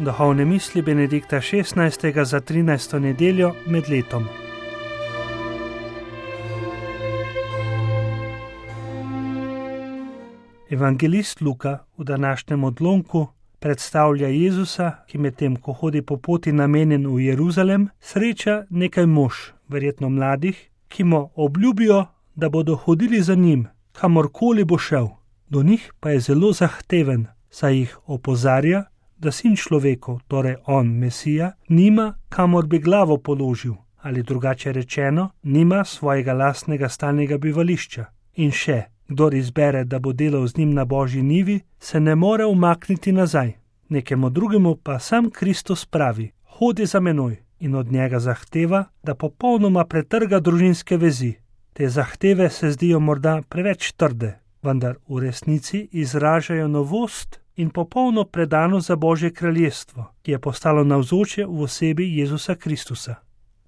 Duhovne misli Benedikta XVI. Za 13. nedeljo med letom. Evangelist Luka v današnjem odlomku predstavlja Jezusa, ki medtem ko hodi po poti namenjen v Jeruzalem, sreča nekaj mož, verjetno mladih, ki mu obljubijo, da bodo hodili za njim, kamorkoli bo šel. Do njih pa je zelo zahteven, saj jih opozarja, da sin človekov, torej on, Mesija, nima kamor bi glavo položil, ali drugače rečeno, nima svojega lastnega stalnega bivališča. In še, kdor izbere, da bo delal z njim na Božji njivi, se ne more umakniti nazaj. Nekemu drugemu pa sam Kristus pravi: hodi za menoj, in od njega zahteva, da popolnoma pretrga družinske vezi. Te zahteve se zdijo morda preveč trde, vendar v resnici izražajo novost in popolno predanost za Božje kraljestvo, ki je postalo navzoče v osebi Jezusa Kristusa.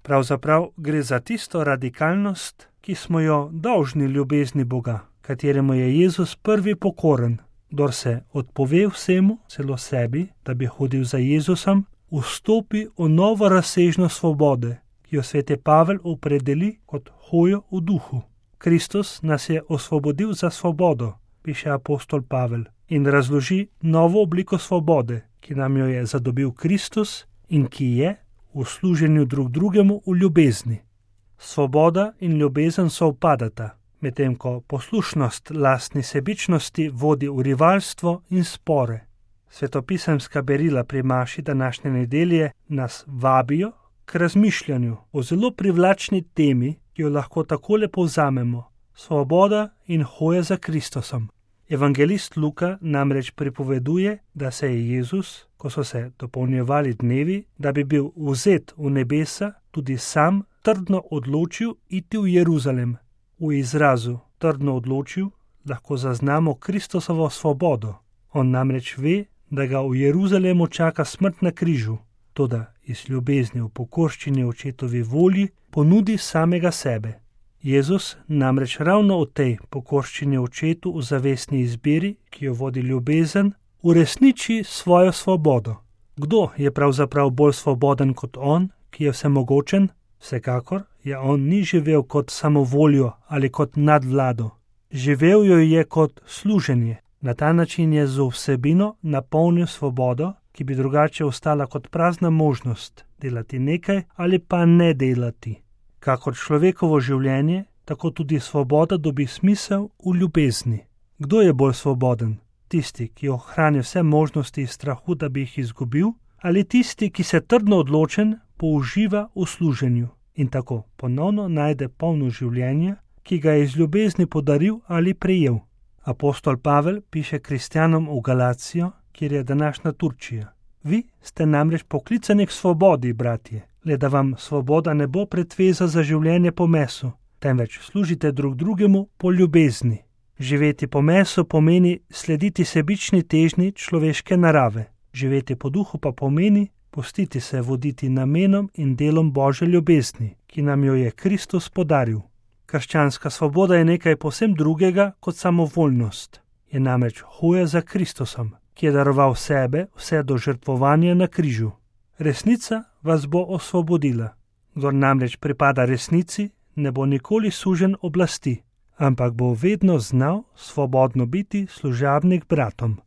Pravzaprav gre za tisto radikalnost, ki smo jo dolžni ljubezni Boga, kateremu je Jezus prvi pokoren. Kdor se odpove vsemu, celo sebi, da bi hodil za Jezusom, vstopi v novo razsežnost svobode, ki jo sveti Pavel opredeli kot hojo v duhu. Kristus nas je osvobodil za svobodo, piše apostol Pavel, in razloži novo obliko svobode, ki nam jo je zadobil Kristus in ki je v služenju drug drugemu v ljubezni. Svoboda in ljubezen sovpadata, medtem ko poslušnost lastni sebičnosti vodi v rivalstvo in spore. Svetopisemska berila pri maši današnje nedelje nas vabijo k razmišljanju o zelo privlačni temi, ki jo lahko takole povzamemo: svoboda in hoja za Kristusom. Evangelist Luka namreč pripoveduje, da se je Jezus, ko so se dopolnjevali dnevi, da bi bil vzet v nebesa, tudi sam trdno odločil iti v Jeruzalem. V izrazu trdno odločil lahko zaznamo Kristusovo svobodo. On namreč ve, da ga v Jeruzalemu čaka smrt na križu, toda iz ljubezni v pokorščini očetovi volji ponudi samega sebe. Jezus namreč ravno v tej pokorščini očetu v zavestni izbiri, ki jo vodi ljubezen, uresniči svojo svobodo. Kdo je pravzaprav bolj svoboden kot on, ki je vsemogočen? Vsekakor je on ni živel kot samovoljo ali kot nadvlado. Živel jo je kot služenje. Na ta način je z vsebino napolnil svobodo, ki bi drugače ostala kot prazna možnost delati nekaj ali pa ne delati. Kakor človekovo življenje, tako tudi svoboda dobi smisel v ljubezni. Kdo je bolj svoboden? Tisti, ki ohrani vse možnosti iz strahu, da bi jih izgubil, ali tisti, ki se trdno odločen použiva v služenju in tako ponovno najde polno življenja, ki ga je iz ljubezni podaril ali prejel. Apostol Pavel piše kristjanom v Galacijo, kjer je današnja Turčija: vi ste namreč poklicani k svobodi, bratje, le da vam svoboda ne bo pretveza za življenje po mesu, temveč služite drug drugemu po ljubezni. Živeti po mesu pomeni slediti sebični težnji človeške narave. Živeti po duhu pa pomeni pustiti se voditi namenom in delom Božje ljubezni, ki nam jo je Kristus podaril. Krščanska svoboda je nekaj povsem drugega kot samovoljnost. Je namreč hoja za Kristusom, ki je daroval sebe vse do žrtvovanja na križu. Resnica vas bo osvobodila. Kdor namreč pripada resnici, ne bo nikoli sužen oblasti, ampak bo vedno znal svobodno biti služabnik bratom.